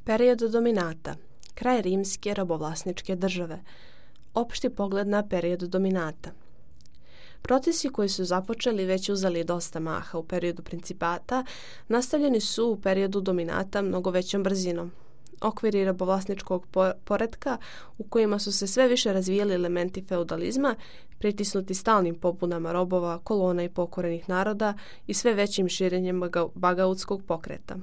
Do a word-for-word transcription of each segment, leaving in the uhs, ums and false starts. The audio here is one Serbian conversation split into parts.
Period dominata. Kraj rimske robovlasničke države. Opšti pogled na period dominata. Procesi koji su započeli već uzeli dosta maha u periodu principata, nastavljeni su u periodu dominata mnogo većom brzinom. Okviri robovlasničkog poretka u kojima su se sve više razvijali elementi feudalizma, pritisnuti stalnim pobunama robova, kolona i pokorenih naroda i sve većim širenjem bagautskog pokreta.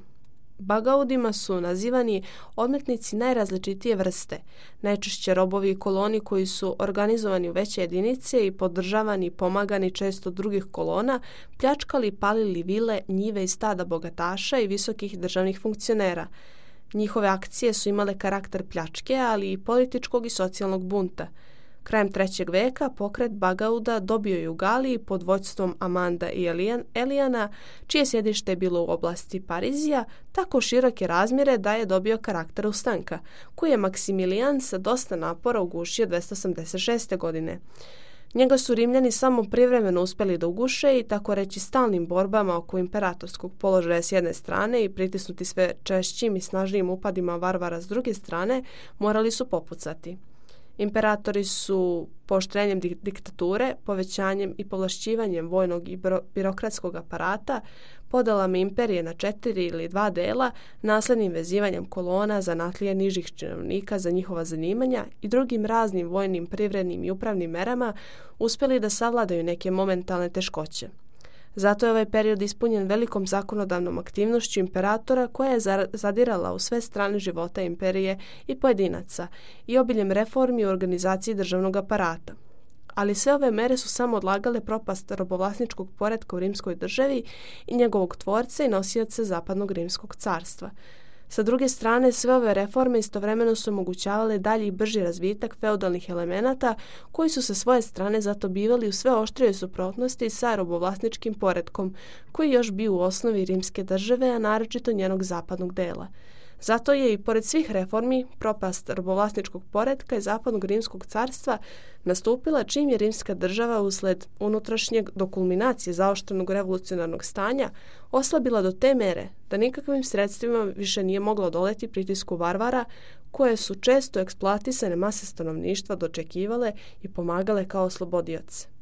Bagaudima su nazivani odmetnici najrazličitije vrste, najčešće robovi i koloni koji su organizovani u veće jedinice i podržavani i pomagani često drugih kolona, pljačkali i palili vile, njive i stada bogataša i visokih državnih funkcionera. Njihove akcije su imale karakter pljačke, ali i političkog i socijalnog bunta. Krajem trećeg veka pokret Bagauda dobio je u Galiji pod vođstvom Amanda i Elijana, čije sjedište je bilo u oblasti Parizija, tako široke razmjere da je dobio karakter ustanka, koji je Maksimilijan sa dosta napora ugušio dvesta osamdeset šeste. godine. Njega su Rimljani samo privremeno uspjeli da uguše i tako reći stalnim borbama oko imperatorskog položaja s jedne strane i pritisnuti sve češćim i snažnijim upadima varvara s druge strane, morali su popucati. Imperatori su pooštrenjem diktature, povećanjem i povlašćivanjem vojnog i birokratskog aparata, podelama imperije na četiri ili dva dela, naslednim vezivanjem kolona, zanatlije nižih činovnika za njihova zanimanja i drugim raznim vojnim, privrednim i upravnim merama uspjeli da savladaju neke momentalne teškoće. Zato je ovaj period ispunjen velikom zakonodavnom aktivnošću imperatora koja je zadirala u sve strane života imperije i pojedinaca i obiljem reformi u organizaciji državnog aparata. Ali sve ove mere su samo odlagale propast robovlasničkog poretka u rimskoj državi i njegovog tvorca i nosioca zapadnog rimskog carstva. Sa druge strane, sve ove reforme istovremeno su omogućavale dalji i brži razvitak feudalnih elemenata koji su sa svoje strane zato bivali u sve oštrijoj suprotnosti sa robovlasničkim poretkom koji još bio u osnovi rimske države, a naročito njenog zapadnog dela. Zato je i pored svih reformi propast robovlasničkog poretka i zapadnog rimskog carstva nastupila čim je rimska država usled unutrašnjeg do kulminacije zaoštrenog revolucionarnog stanja oslabila do te mere da nikakvim sredstvima više nije mogla odoleti pritisku varvara koje su često eksploatisane mase stanovništva dočekivale i pomagale kao oslobodioce.